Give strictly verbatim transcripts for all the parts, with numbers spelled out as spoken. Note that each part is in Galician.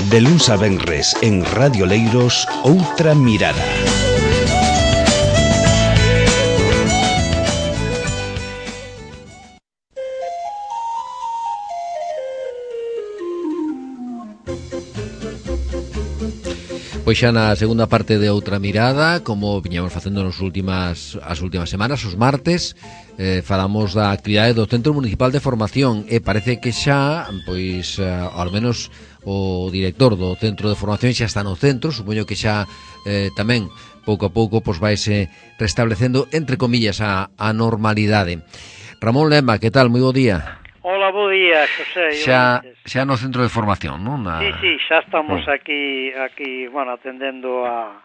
De luns a venres en Radio Leiros, Outra Mirada. Pois xa na segunda parte de Outra Mirada, como viñamos facendo nas últimas as últimas semanas, os martes, eh, falamos da actividade do Centro Municipal de Formación e parece que xa, pois, eh, ao menos o director do Centro de Formación xa está no centro, supoño que xa eh, tamén pouco a pouco pois vaise restablecendo, entre comillas, a, a normalidade. Ramón Lema, que tal? Moi bo día. Hola, bo día, Xosé. Xa, xa no centro de formación, non? Na... Sí, sí, xa estamos oh. aquí, aquí, bueno, atendendo a,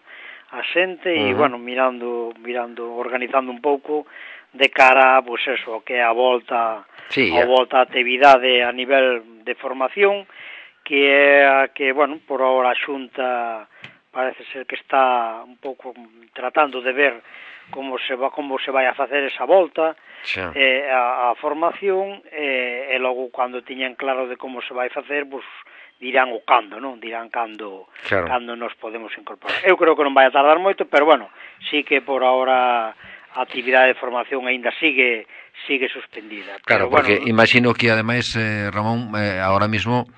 a xente e, uh -huh. bueno, mirando, mirando, organizando un pouco de cara, pois pues eso, que a volta, sí, a volta a actividade a nivel de formación, que é a que, bueno, por ahora a Xunta parece ser que está un pouco tratando de ver como se va como se vai a facer esa volta eh, a, a formación eh, e logo cando tiñan claro de como se vai facer, pues, dirán o cando, non? Dirán cando claro. cando nos podemos incorporar. Eu creo que non vai a tardar moito, pero bueno, sí que por ahora a actividade de formación aínda sigue sigue suspendida. Claro, pero, porque bueno, imagino que ademais, eh, Ramón, eh, ahora mismo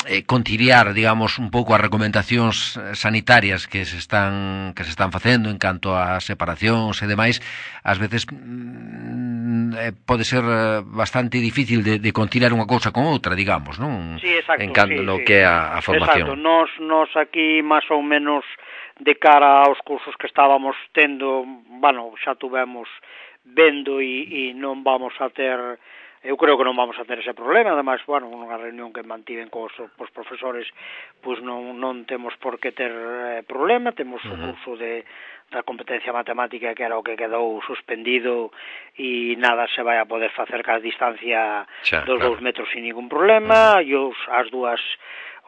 eh, conciliar, digamos, un pouco as recomendacións sanitarias que se están que se están facendo en canto a separacións e demais, ás veces mm, eh, pode ser bastante difícil de, de conciliar unha cousa con outra, digamos, non? Sí, exacto, en canto sí, no sí. que é a, a formación. Exacto, nos, nos aquí máis ou menos de cara aos cursos que estábamos tendo, bueno, xa tuvemos vendo e, e non vamos a ter, eu creo que non vamos a ter ese problema, ademais, bueno, unha reunión que mantiven cos, cos profesores, pois non, non temos por que ter eh, problema, temos uh -huh. o curso de da competencia matemática que era o que quedou suspendido e nada se vai a poder facer ca distancia xa, dos claro. dous metros sin ningún problema, uh -huh. e os, as dúas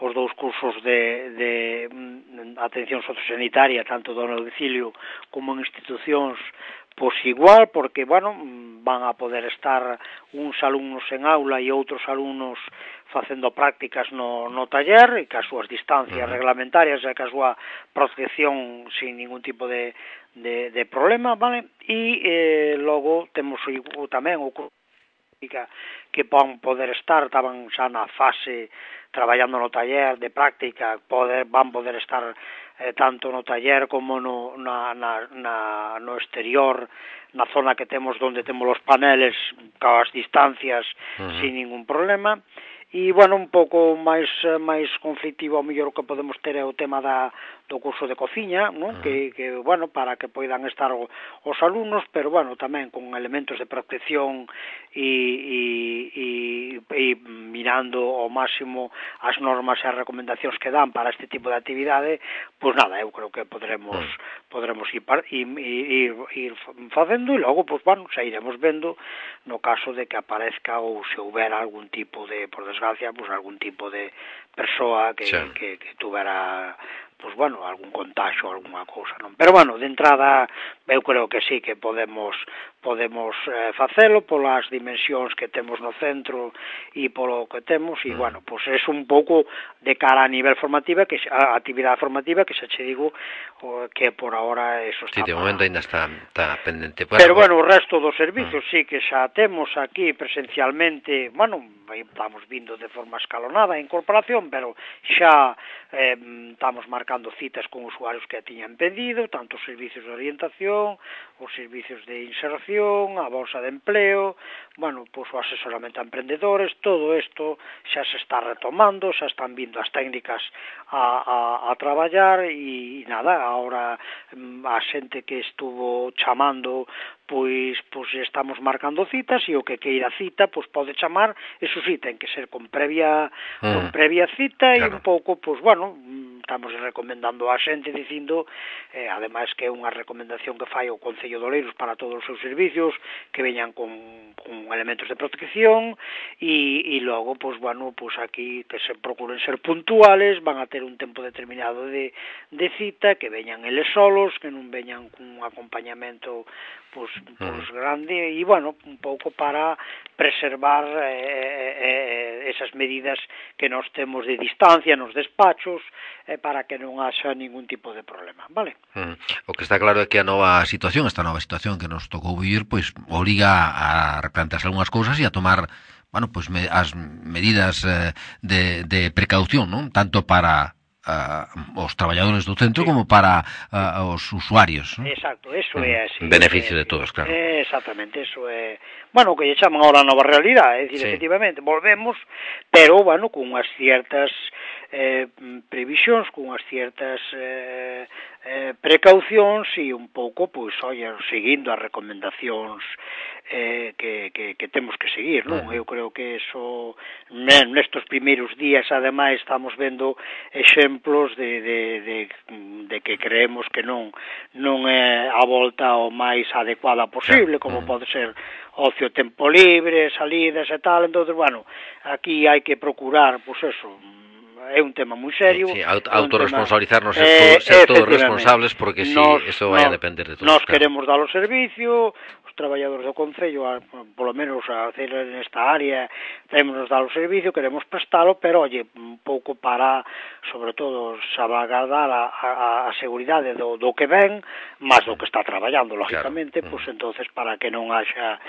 os dous cursos de, de atención sociosanitaria, tanto do domicilio como en institucións, pois igual, porque, bueno, van a poder estar uns alumnos en aula e outros alumnos facendo prácticas no, no taller, e que as súas distancias uh-huh. reglamentarias e que a súa protección sin ningún tipo de, de, de problema, vale? E eh, logo temos o, tamén o que van poder estar, estaban xa na fase traballando no taller de práctica, poder, van poder estar eh, tanto no taller como no, na, na, na, no exterior, na zona que temos onde temos os paneles coas distancias uh -huh. sin ningún problema. E, bueno, un pouco máis máis conflictivo ao mellor o que podemos ter é o tema da, do curso de cociña, ¿no? Uh -huh. que, que, bueno, para que poidan estar o, os alumnos, pero, bueno, tamén con elementos de protección e, e, e, e mirando ao máximo as normas e as recomendacións que dan para este tipo de actividade, pois nada, eu creo que podremos uh -huh. podremos ir, ir, ir, ir facendo e logo, pois, bueno, xa iremos vendo no caso de que aparezca ou se houbera algún tipo de, por desgracia, pues algún tipo de persoa que, sí. que, que tuvera, pues bueno, algún contagio, alguna cousa, non? Pero bueno, de entrada, eu creo que sí que podemos podemos eh, facelo polas dimensións que temos no centro e polo que temos, e, mm. bueno, pues é un pouco de cara a nivel formativa, que a actividade formativa, que xa che digo, o, que por ahora eso está... Sí, de momento ainda está, está pendente. Pero, pero bueno, o resto dos servicios mm. sí que xa temos aquí presencialmente, bueno, estamos vindo de forma escalonada a incorporación, pero xa eh, estamos marcando citas con usuarios que tiñan pedido, tanto os servicios de orientación, os servicios de inserción, a bolsa de empleo, bueno, pues o asesoramento a emprendedores, todo isto xa se está retomando, xa están vindo as técnicas a, a, a traballar e nada, agora a xente que estuvo chamando, pois, pois estamos marcando citas e o que queira cita, pois pode chamar, eso sí, ten que ser con previa mm. con previa cita claro. E un pouco, pois bueno, estamos recomendando a xente dicindo, eh, ademais que é unha recomendación que fai o Concello de Oleiros para todos os seus servicios, que veñan con, con elementos de protección e, e logo, pois bueno, pois aquí que se procuren ser puntuales, van a ter un tempo determinado de, de cita, que veñan eles solos, que non veñan con un acompañamento pois, pois grande, e bueno, un pouco para preservar eh, eh, esas medidas que nos temos de distancia nos despachos, eh, para que non haxa ningún tipo de problema, vale? Mm. O que está claro é que a nova situación, esta nova situación que nos tocou vivir, pois obriga a replantearse algunhas cousas e a tomar, bueno, pois me, as medidas eh, de, de precaución, non? Tanto para Uh, os traballadores do centro, sí, como para uh, os usuarios, ¿no? Exacto, eso é así. Beneficio de todos, claro. Exactamente, eso é, bueno, que lle chaman ahora a nova realidade, é dicir, sí, efectivamente, volvemos, pero, bueno, con unhas ciertas eh, previsións, con unhas ciertas eh, eh, precaucións e un pouco, pois, oye, seguindo as recomendacións eh, que, que, que temos que seguir, non? Uh-huh. Eu creo que eso, nestos primeiros días, ademais, estamos vendo exemplos de, de, de, de que creemos que non non é a volta o máis adecuada posible, como uh-huh. pode ser ocio, tempo libre, salidas e tal. Entón, bueno, aquí hai que procurar, pois eso, é un tema moi serio. Sí, sí, aut autorresponsabilizarnos, ser, eh, ser todos responsables, porque si nos, eso vai nos, a depender de todos. Nos claro. queremos dar o servicio, os traballadores do Concello, a, polo menos a hacer nesta área, temos nos dar o servicio, queremos prestalo, pero, oye, un pouco para, sobre todo, salvaguardar a, a, a seguridade do, do que ven, máis do que está traballando, lógicamente, claro. Pois pues, entonces, para que non haxa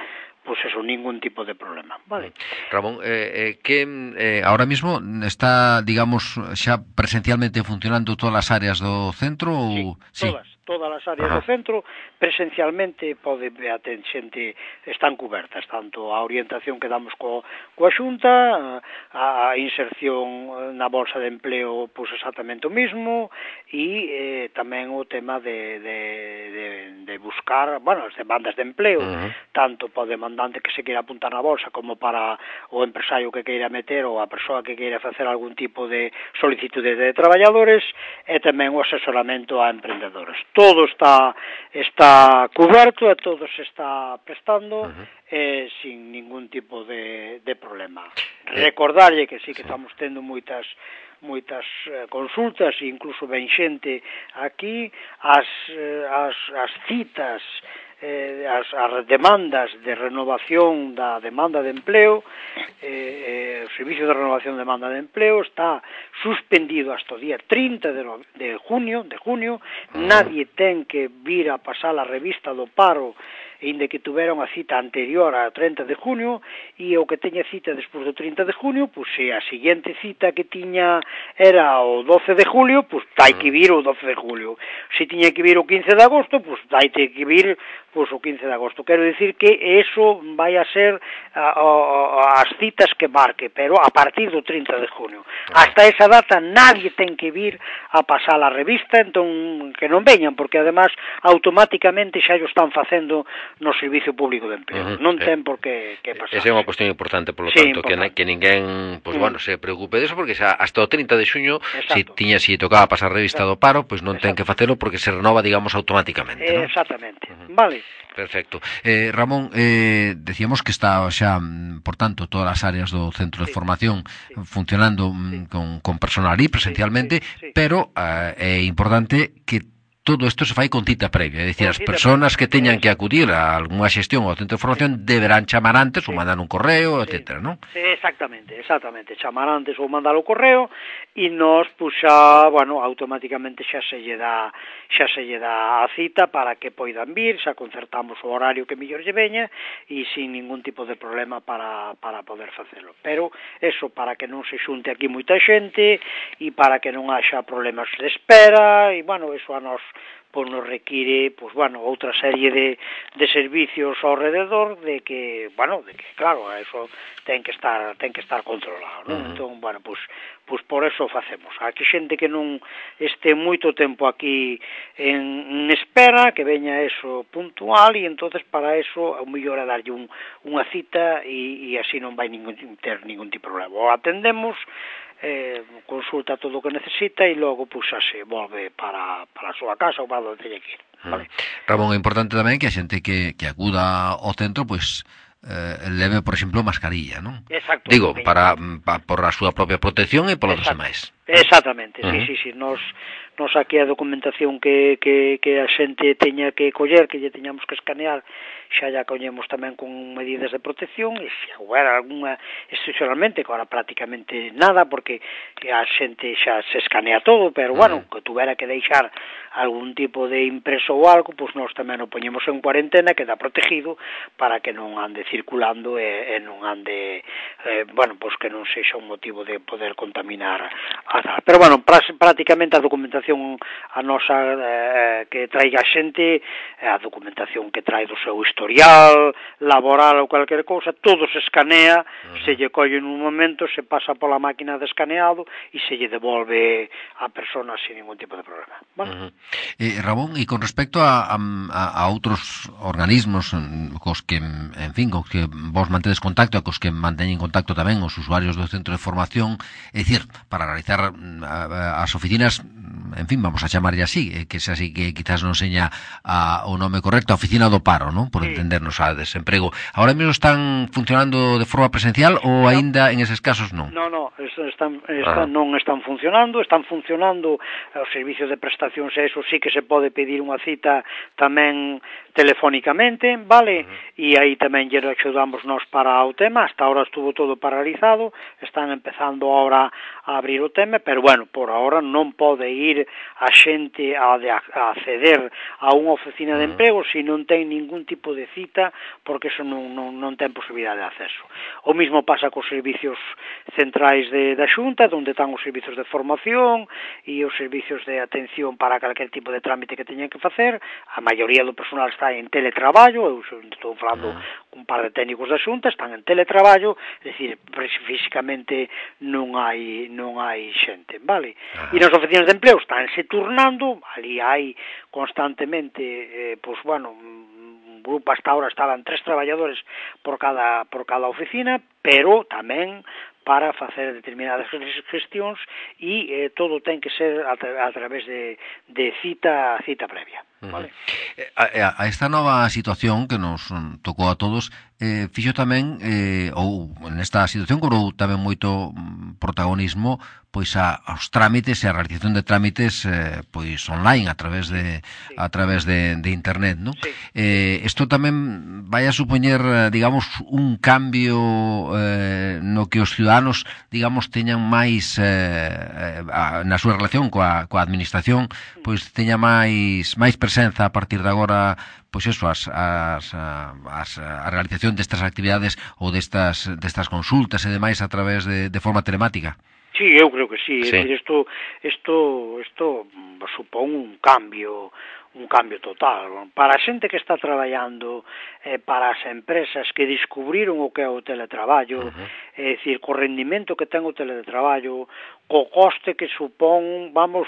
pues eso, ningún tipo de problema, vale. Ramón, eh, eh, que eh, ahora mismo está, digamos, xa presencialmente funcionando todas as áreas do centro? Ou... Sí, todas, sí. todas as áreas Ajá. do centro presencialmente pode a xente están cubertas, tanto a orientación que damos co, coa Xunta, a, a inserción na bolsa de empleo, pois pues exactamente o mismo, e eh, tamén o tema de, de, de, de buscar, bueno, as demandas de empleo, uh-huh. tanto para o demandante que se queira apuntar na bolsa como para o empresario que queira meter ou a persoa que queira facer algún tipo de solicitude de traballadores, e tamén o asesoramento a emprendedores. Todo está está cuberto e todo se está prestando uh-huh. eh, sin ningún tipo de, de problema. Recordarlle que sí que estamos tendo moitas moitas eh, consultas e incluso ben xente aquí, as, eh, as, as citas, eh, as, as demandas de renovación da demanda de empleo, eh, eh, o Servicio de Renovación de Demanda de Empleo está suspendido hasta o día trinta de, no, de junio, de junio, nadie ten que vir a pasar a revista do paro inde que tuvera unha cita anterior ao trinta de junio, e o que teña cita despois do trinta de junio, pois se a seguinte cita que tiña era o doce de julio, pois tai que vir o doce de julio. Se tiña que vir o quince de agosto, pois tai que vir pois o quince de agosto. Quero dicir que eso vai a ser a, a, as citas que marque, pero a partir do trinta de junio. Hasta esa data nadie ten que vir a pasar a revista, entón que non veñan, porque además automáticamente xa o están facendo no Servicio Público de Empleo. Uh-huh. Non ten por que, que pasar. Esa é unha cuestión importante, por lo sí, tanto, importante. Que, que ninguén, pues, uh-huh. bueno, se preocupe de eso, porque xa hasta o trinta de xuño, se si tiña, si tocaba pasar a revista Exacto. do paro, pois pues non ten que facelo porque se renova, digamos, automáticamente, ¿no? Exactamente. Uh-huh. Vale. Perfecto. Eh, Ramón, eh, decíamos que está xa, por tanto, todas as áreas do centro de sí, formación sí. funcionando sí. con, con personal aí presencialmente, sí, sí, sí. pero eh, é importante que todo isto se fai con cita previa, é dicir, as persoas que teñan que acudir a algunha xestión ao centro de formación deberán chamar antes sí. ou mandar un correo, sí. etcétera, non? Sí, exactamente, exactamente, chamar antes ou mandar o correo e nos, pois, xa, bueno, automáticamente xa se lle dá, xa se lle dá a cita para que poidan vir, xa concertamos o horario que mellor lle veña e sin ningún tipo de problema para, para poder facelo. Pero, eso, para que non se xunte aquí moita xente e para que non haxa problemas de espera e, bueno, eso a nos pois nos require, pois, bueno, outra serie de, de servicios ao rededor de que, bueno, de que, claro, eso ten que estar ten que estar controlado, non? Uh-huh. Entón, bueno, pois, pois por eso facemos. Aquí xente que non este moito tempo aquí en, en espera, que veña eso puntual, e entonces para eso o mellor é darlle un, unha cita e, e así non vai ningún, ter ningún tipo de problema. O atendemos, eh, consulta todo o que necesita e logo pues, xa se volve para, para a súa casa ou para onde teña que ir. Vale. Ramón, é importante tamén que a xente que, que acuda ao centro, pois, eh, leve, por exemplo, mascarilla, non? Exacto. Digo, para, para por a súa propia protección e polos demais. Exactamente, uh-huh. sí, sí, sí, nos, nos aquí a documentación que, que, que a xente teña que coller, que lle teñamos que escanear, xa ya collemos tamén con medidas de protección, e se houbera alguna excepcionalmente, que ahora prácticamente nada, porque a xente xa se escanea todo, pero bueno, que tuvera que deixar algún tipo de impreso ou algo, pois nós tamén o poñemos en cuarentena, queda protegido, para que non ande circulando e, e non ande, eh, bueno, pois que non sexa un motivo de poder contaminar a tal. Pero bueno, prácticamente a documentación a nosa eh, que traiga a xente, a documentación que trae do seu historial laboral ou calquer cousa, todo se escanea, uh-huh. se lle colle en un momento, se pasa pola máquina de escaneado e se lle devolve a persona sin ningún tipo de problema. Bueno. Uh-huh. eh, Ramón, e con respecto a, a, a outros organismos cos que, en fin, cos que vos mantedes contacto e cos que manteñen contacto tamén os usuarios do centro de formación, é dicir, para realizar as oficinas, en fin, vamos a chamarlle así, que se así que quizás non seña a, o nome correcto, a oficina do paro, non? Por sí. entendernos a desemprego. Ahora mesmo están funcionando de forma presencial ou aínda en eses casos non? Non, non, están, están, ah. non están funcionando, están funcionando os servicios de prestacións, eso sí que se pode pedir unha cita tamén telefónicamente, vale? Uh-huh. E aí tamén lle axudamos nós para o tema, hasta ahora estuvo todo paralizado, están empezando ahora a abrir o tema, pero bueno, por ahora non pode ir a xente a, de, a acceder a unha oficina de emprego se non ten ningún tipo de cita, porque eso non, non, non ten posibilidade de acceso. O mismo pasa cos servicios centrais de, da Xunta, onde están os servicios de formación e os servicios de atención para calquer tipo de trámite que teñen que facer. A maioría do personal está en teletraballo, eu estou falando con un par de técnicos da Xunta, están en teletraballo, é dicir, físicamente non hai non hai xente, vale? E nas oficinas de empleo estánse turnando, ali hai constantemente, eh, pois, bueno, un grupo hasta ahora estaban tres traballadores por cada por cada oficina, pero tamén para facer determinadas gestións e eh, todo ten que ser a, tra a través de, de cita cita previa. Vale. A, a esta nova situación que nos tocou a todos, eh, fixo tamén, eh, ou nesta situación cobrou tamén moito protagonismo pois a, aos trámites e a realización de trámites eh, pois online a través de sí. a través de, de internet, ¿no? Sí. Eh, esto tamén vai a supoñer, digamos, un cambio eh, no que os ciudadanos, digamos, teñan máis eh, a, na súa relación coa, coa administración, pois teña máis máis presenza a partir de agora, pois eso, as, as, as, a realización destas actividades ou destas, destas consultas e demais a través de, de forma telemática. Sí, eu creo que sí, sí. É dicir, isto, isto, isto supón un cambio, un cambio total. Para a xente que está traballando, eh, para as empresas que descubriron o que é o teletraballo, uh-huh. é dicir, co rendimento que ten o teletraballo, co coste que supón, vamos,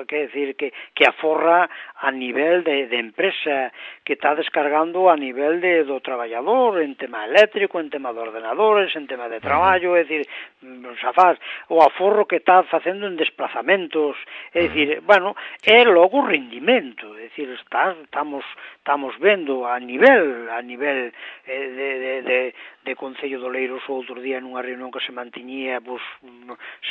que decir, que, que aforra a nivel de, de empresa, que está descargando a nivel de, do traballador, en tema eléctrico, en tema de ordenadores, en tema de traballo, é dicir, xa faz, o aforro que está facendo en desplazamentos, é dicir, bueno, é logo o rendimento, é dicir, está, estamos, estamos vendo a nivel, a nivel eh, de, de, de, de Concello de Oleiros o outro día nunha reunión que se mantiñía, pues,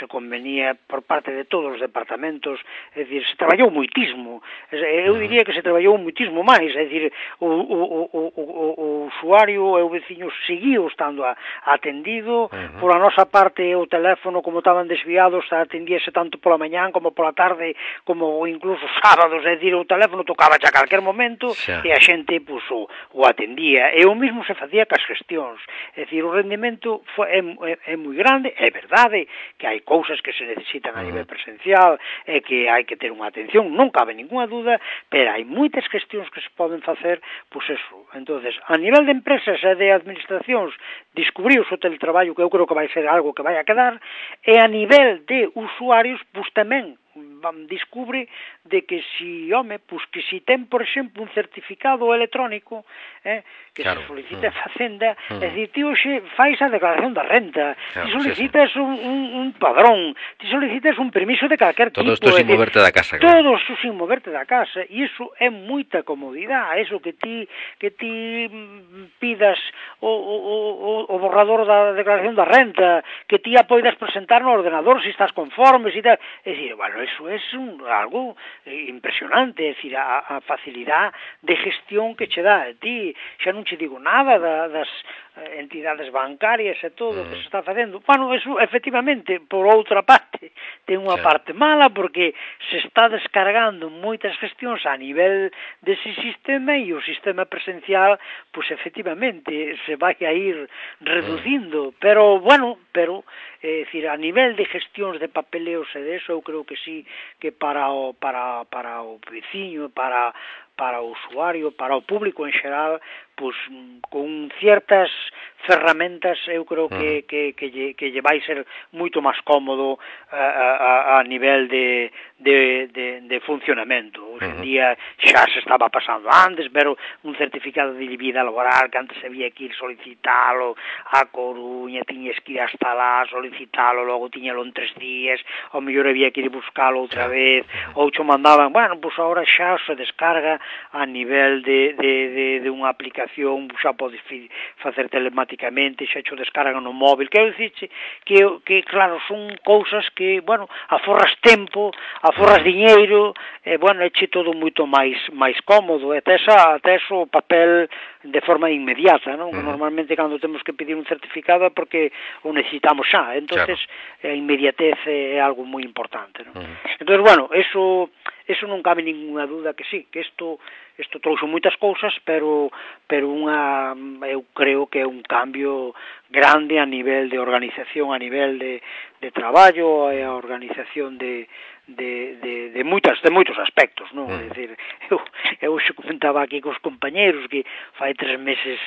se convenía por parte de todos os departamentos, é dicir, se traballou moitismo, eu diría que se traballou moitismo máis, é dicir, o, o, o, o, o usuario e o veciño seguiu estando a, atendido, uh-huh. por a nosa parte o teléfono, como estaban desviados, atendíase tanto pola mañán como pola tarde, como incluso sábados, é dicir, o teléfono tocaba a calquer momento, sí. e a xente, pues, o, o atendía, e o mismo se facía cas gestións. É dicir, o rendimento foi, é, é, é moi grande, é verdade que hai cousas que se necesitan a nivel presencial e que hai que ter unha atención, non cabe ninguna duda, pero hai moitas gestións que se poden facer, pois eso. Entonces, a nivel de empresas e de administracións, descubriu o teletraballo, que eu creo que vai ser algo que vai a quedar, e a nivel de usuarios, pois tamén descubre de que si, home, pues que si ten, por exemplo, un certificado electrónico, eh, que claro. se solicita a Facenda, uh -huh. é dicir, ti hoxe fais a declaración da renta, claro, ti solicitas sí, sí. Un, un, un padrón, ti solicitas un permiso de calquer todo tipo. Todo isto sin moverte da casa. Claro. Todo isto sin moverte da casa, e iso é moita comodidade, eso que ti que ti pidas o, o, o borrador da declaración da renta, que ti a poidas presentar no ordenador se estás conforme, se tal, é dicir, bueno, eso é un, algo impresionante, é dicir, a, a facilidade de gestión que che dá a ti, xa non che digo nada da, das entidades bancarias e todo o mm. que se está facendo. Bueno, eso, efectivamente, por outra parte, ten unha sí. parte mala, porque se está descargando moitas gestións a nivel dese sistema e o sistema presencial, pois efectivamente se vai a ir reducindo, mm. pero bueno, pero é dicir, a nivel de gestións de papeleos e de eso, eu creo que sí, que para o para para o veciño, para para o usuario, para o público en xeral, pois con ciertas ferramentas eu creo que, que, que, lle, que lle vai ser moito máis cómodo a, a, a nivel de, de, de, de funcionamento. Hoxe en día xa se estaba pasando antes, pero un certificado de vida laboral que antes había que ir solicitalo a Coruña, tiñes que ir hasta lá, solicitalo, logo tiñalo en tres días, ao mellor había que ir buscalo outra vez, ou xo mandaban, bueno, pois agora xa se descarga a nivel de, de, de, de unha aplicación, xa podes facer telemáticamente, xa xo descargan no móvil, quero dicirche que, que claro, son cousas que, bueno, aforras tempo, aforras diñeiro, e, bueno, eche todo moito máis máis cómodo, e tes, a, tes o papel de forma inmediata, non? Uh -huh. Normalmente cando temos que pedir un certificado é porque o necesitamos xa, entonces claro. A inmediatez é algo moi importante, non? Uh -huh. Entonces, bueno, eso... Eso non cabe ninguna duda que sí, que isto isto trouxo moitas cousas, pero pero unha eu creo que é un cambio grande a nivel de organización, a nivel de, de traballo, e a organización de de, de, de moitas de moitos aspectos, non? Mm. É dicir, eu, eu xe comentaba aquí cos compañeros que fai tres meses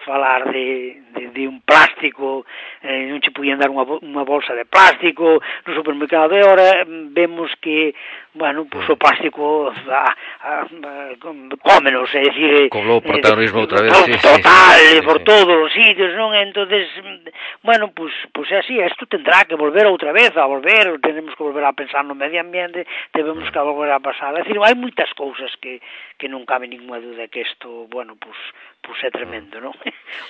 falar de, de, de un plástico, eh, non che podían dar unha, unha bolsa de plástico no supermercado, e ahora vemos que, bueno, pues o plástico a, a, a, cómenos, é dicir, como o protagonismo outra vez, sí, total, sí, sí, por sí. todos os sitios, non? Entonces, bueno, pues, pues é así, isto tendrá que volver outra vez, a volver, tenemos que volver a pensar no medio ambiente, debemos que volver a pasar, é dicir, hai moitas cousas que, que non cabe ninguna duda que isto, bueno, pues, pues é tremendo, non?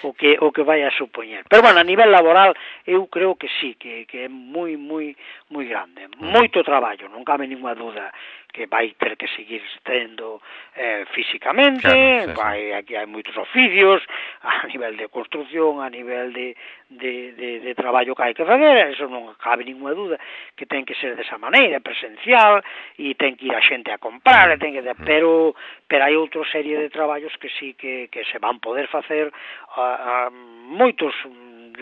o que o que vai a supoñer. Pero bueno, a nivel laboral eu creo que sí, que, que é moi moi moi grande. Moito traballo, non cabe ninguna duda que vai ter que seguir tendo eh, físicamente, claro, sí, vai, sí. Aquí hai moitos oficios, a nivel de construcción, a nivel de, de, de, de traballo que hai que fazer, eso non cabe ninguna duda, que ten que ser desa maneira, presencial, e ten que ir a xente a comprar, e ten que, pero, pero hai outra serie de traballos que sí que, que se van poder facer a, a moitos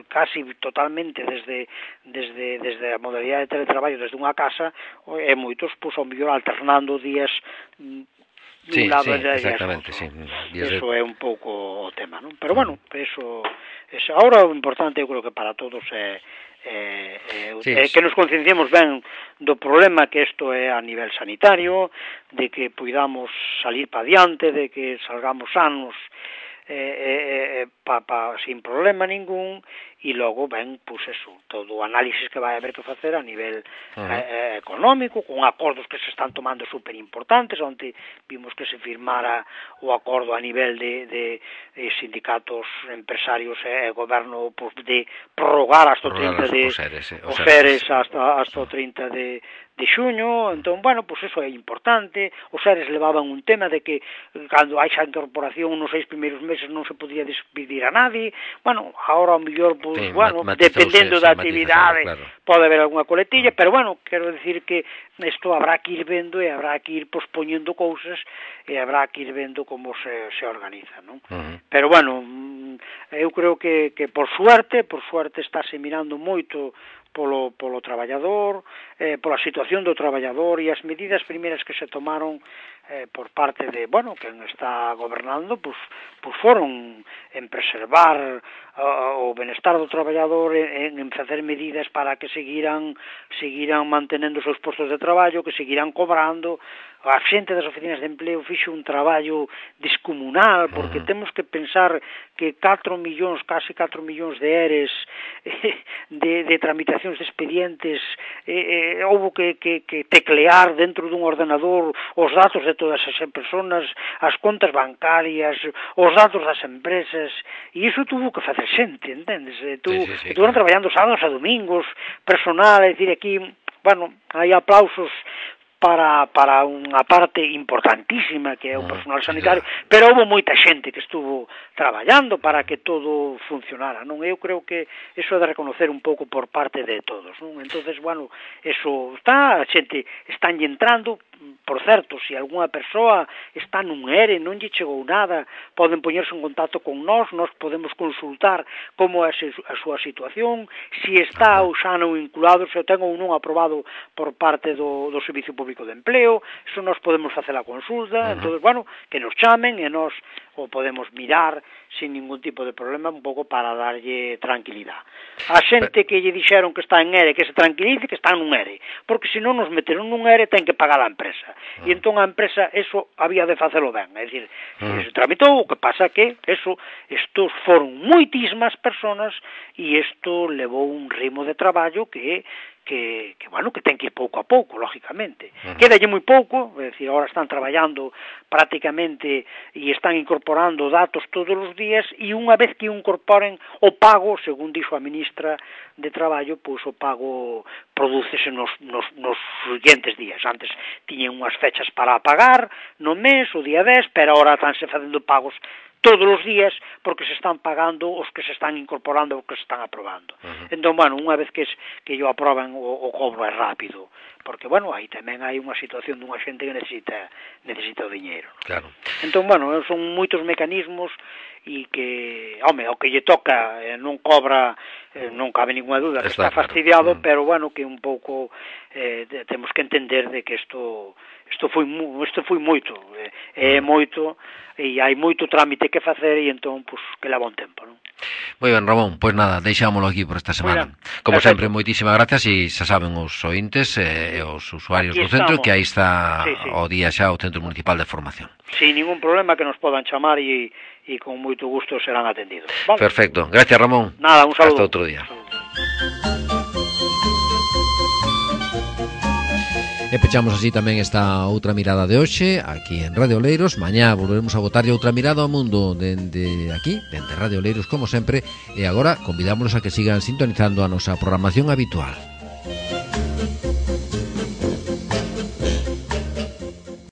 casi totalmente desde desde desde a modalidade de teletraballo desde unha casa, e moitos pois ao mellor alternando días sí, lado sí, exactamente, sí. Eso é un pouco o tema, non? Pero bueno, eso, eso agora o importante eu creo que para todos é Eh, eh, sí, eh, que nos concienciemos ben do problema que isto é a nivel sanitario, de que podamos salir para diante, de que salgamos sanos eh, eh, pa, pa, sin problema ningún, e logo ben, pois eso, todo o análisis que vai haber que facer a nivel uh -huh. eh, económico, con acordos que se están tomando super importantes, onde vimos que se firmara o acordo a nivel de, de, de sindicatos, empresarios e eh, goberno pues, de prorrogar hasta o trinta de os seres, eh, os seres hasta, hasta o trinta de de xuño, entón, bueno, pois pues eso é importante, os seres levaban un tema de que cando hai xa incorporación nos seis primeiros meses non se podía despedir a nadie, bueno, agora ao mellor, pois, pues, sí, bueno, dependendo da actividade, claro. Pode haber algunha coletilla, pero bueno, quero decir que isto habrá que ir vendo e habrá que ir pospoñendo cousas e habrá que ir vendo como se, se organiza, non? Uh -huh. Pero bueno, eu creo que, que por suerte, por suerte estáse mirando moito polo, polo traballador, eh, pola situación do traballador e as medidas primeiras que se tomaron eh, por parte de, bueno, quen está gobernando, pues, pues foron en preservar uh, o benestar do traballador, en, en facer medidas para que seguiran seguiran mantenendo os seus postos de traballo, que seguiran cobrando. A xente das oficinas de empleo fixo un traballo descomunal, porque uh-huh. temos que pensar que catro millóns, casi catro millóns de eres eh, de, de tramitacións de expedientes, eh, eh, houve que, que, que teclear dentro dun ordenador os datos de todas as persoas, as contas bancarias, os datos das empresas, e iso tuvo que facer xente, entendes? E tu, sí, sí, sí, estuveron claro. traballando sábados e domingos, personal, é dicir, aquí, bueno, hai aplausos para para unha parte importantísima que é o personal sanitario, pero houve moita xente que estuvo traballando para que todo funcionara, non? Eu creo que eso é de reconocer un pouco por parte de todos, non? Entonces, bueno, eso está, a xente están entrando. Por certo, se algunha persoa está nun E R E, non lle chegou nada, poden poñerse en contacto con nós, nós podemos consultar como é a súa situación, se está ou xa non vinculado, se o ten ou non aprobado por parte do, do Servicio Público de Empleo, eso nós podemos facer a consulta, uh-huh. entón, bueno, que nos chamen e nós o podemos mirar sin ningún tipo de problema, un pouco para darlle tranquilidade. A xente que lle dixeron que está en E R E, que se tranquilice, que está nun E R E, porque se non nos meteron nun E R E, ten que pagar a empresa. E entón a empresa, eso, había de facelo ben, é dicir, se tramitou, o que pasa que, eso, estos foron moitísimas personas e isto levou un ritmo de traballo que que, que, bueno, que ten que ir pouco a pouco, lógicamente. Uh-huh. Quédalle moi pouco, é dicir, agora están traballando prácticamente e están incorporando datos todos os días e unha vez que incorporen o pago, según dixo a ministra de Traballo, pois o pago prodúcese nos, nos, nos siguientes días. Antes tiñen unhas fechas para pagar no mes, o día dez, pero agora estánse facendo pagos todos os días, porque se están pagando os que se están incorporando, os que se están aprobando. Uh-huh. Entón, bueno, unha vez que, es, que yo aproban, o, o cobro é rápido, porque, bueno, aí tamén hai unha situación dunha xente que necesita necesita o diñeiro. Claro. Entón, bueno, son moitos mecanismos e que, home, o que lle toca eh, non cobra, eh, non cabe ninguna duda que está, está fastidiado, claro. Pero, bueno, que un pouco eh, de, temos que entender de que isto isto foi isto foi moito, é eh, mm. moito, e hai moito trámite que facer e entón, pois, pues, que leva un tempo, non? Moi ben, Ramón, pois pues nada, deixámoslo aquí por esta semana. Como perfecto. Sempre, moitísimas gracias e xa saben os ointes e eh, os usuarios aquí do centro estamos. Que aí está sí, sí. O día xa o Centro Municipal de Formación. Sin ningún problema, que nos podan chamar e, e con moito gusto serán atendidos. ¿Vale? Perfecto, gracias, Ramón. Nada, un saludo. Hasta outro día. E pechamos así tamén esta outra mirada de hoxe aquí en Radio Oleiros. Mañá volveremos a botarlle outra mirada ao mundo dende aquí, dende Radio Oleiros como sempre. E agora convidámonos a que sigan sintonizando a nosa programación habitual.